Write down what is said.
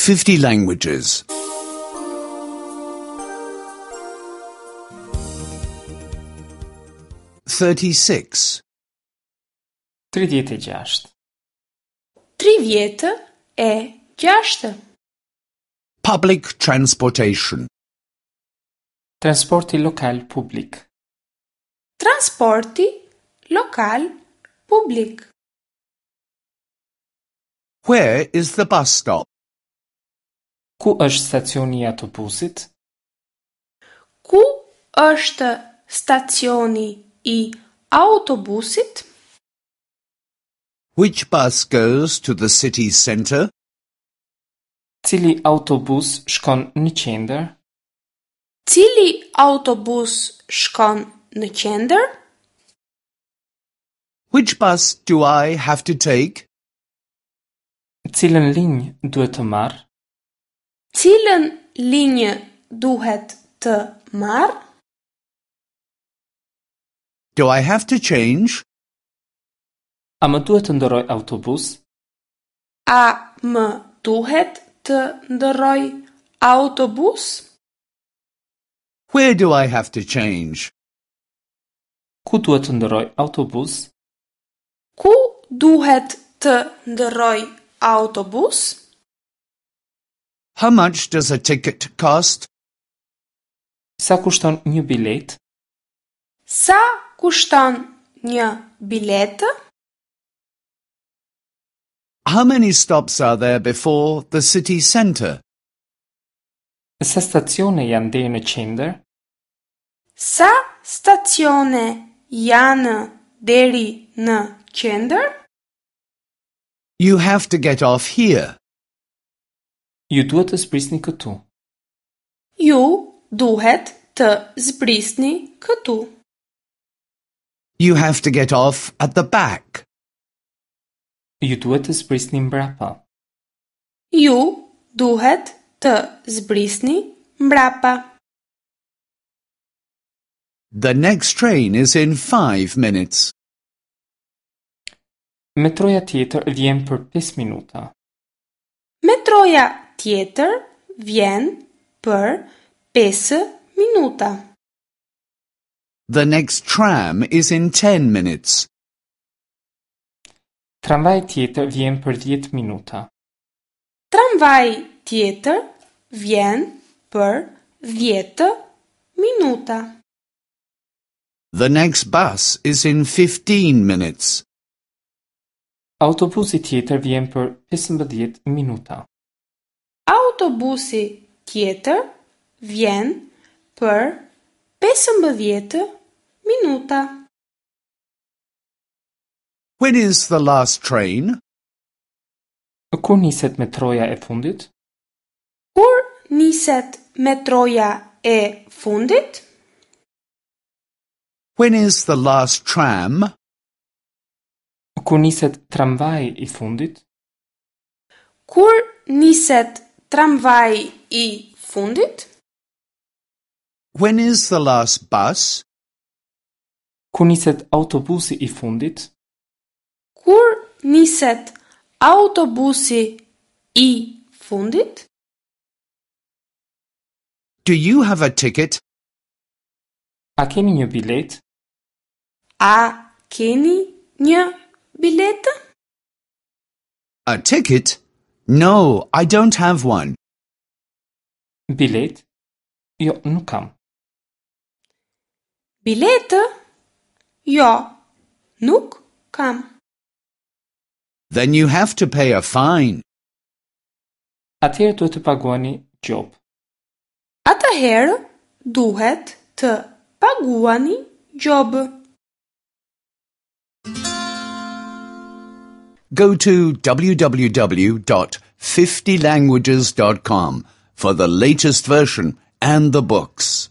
50 languages. 36. 36. 36. Public transportation. Transporti lokal publik. Transporti lokal publik. Where is the bus stop? Ku është stacioni i autobusit? Ku është stacioni i autobusit? Which bus goes to the city center? Cili autobus shkon në qendër? Cili autobus shkon në qendër? Which bus do I have to take? Cilën linjë duhet të marr? Cilën linjë duhet të marr? Do I have to change? A më duhet të ndërroj autobus? A më duhet të ndërroj autobus? Where do I have to change? Ku duhet të ndërroj autobus? Ku duhet të ndërroj autobus? How much does a ticket cost? Sa kushton një biletë? Sa kushton një biletë? How many stops are there before the city center? Sa stacione janë deri në qendër? Sa stacione janë deri në qendër? You have to get off here. Ju duhet të zbrisni këtu. Ju duhet të zbrisni këtu. You have to get off at the back. Ju duhet të zbrisni mbrapa. Ju duhet të zbrisni mbrapa. The next train is in 5 minutes. Metroja tjetër vjen për 5 minuta. Metroja tjetër vjen për 5 minuta. The next tram is in 10 minutes. Tramvaji tjetër vjen për 10 minuta. Tramvaji tjetër vjen për 10 minuta. The next bus is in 15 minutes. Autobusi tjetër vjen për 15 minuta. Autobusi tjetër vjen për 15 minuta. When is the last train? Kur niset metroja e fundit? Kur niset metroja e fundit? When is the last tram? Kur niset tramvaji i fundit? Kur niset tramvaji i fundit? When is the last bus? Kur niset autobusi i fundit? Kur niset autobusi i fundit? Do you have a ticket? A keni një biletë? A keni një biletë? A ticket? No, I don't have one. Biletë? Jo, nuk kam. Biletë? Jo, nuk kam. Then you have to pay a fine. Atëherë duhet të paguani gjobë. Atëherë duhet të paguani gjobë. Go to www.50languages.com for the latest version and the books.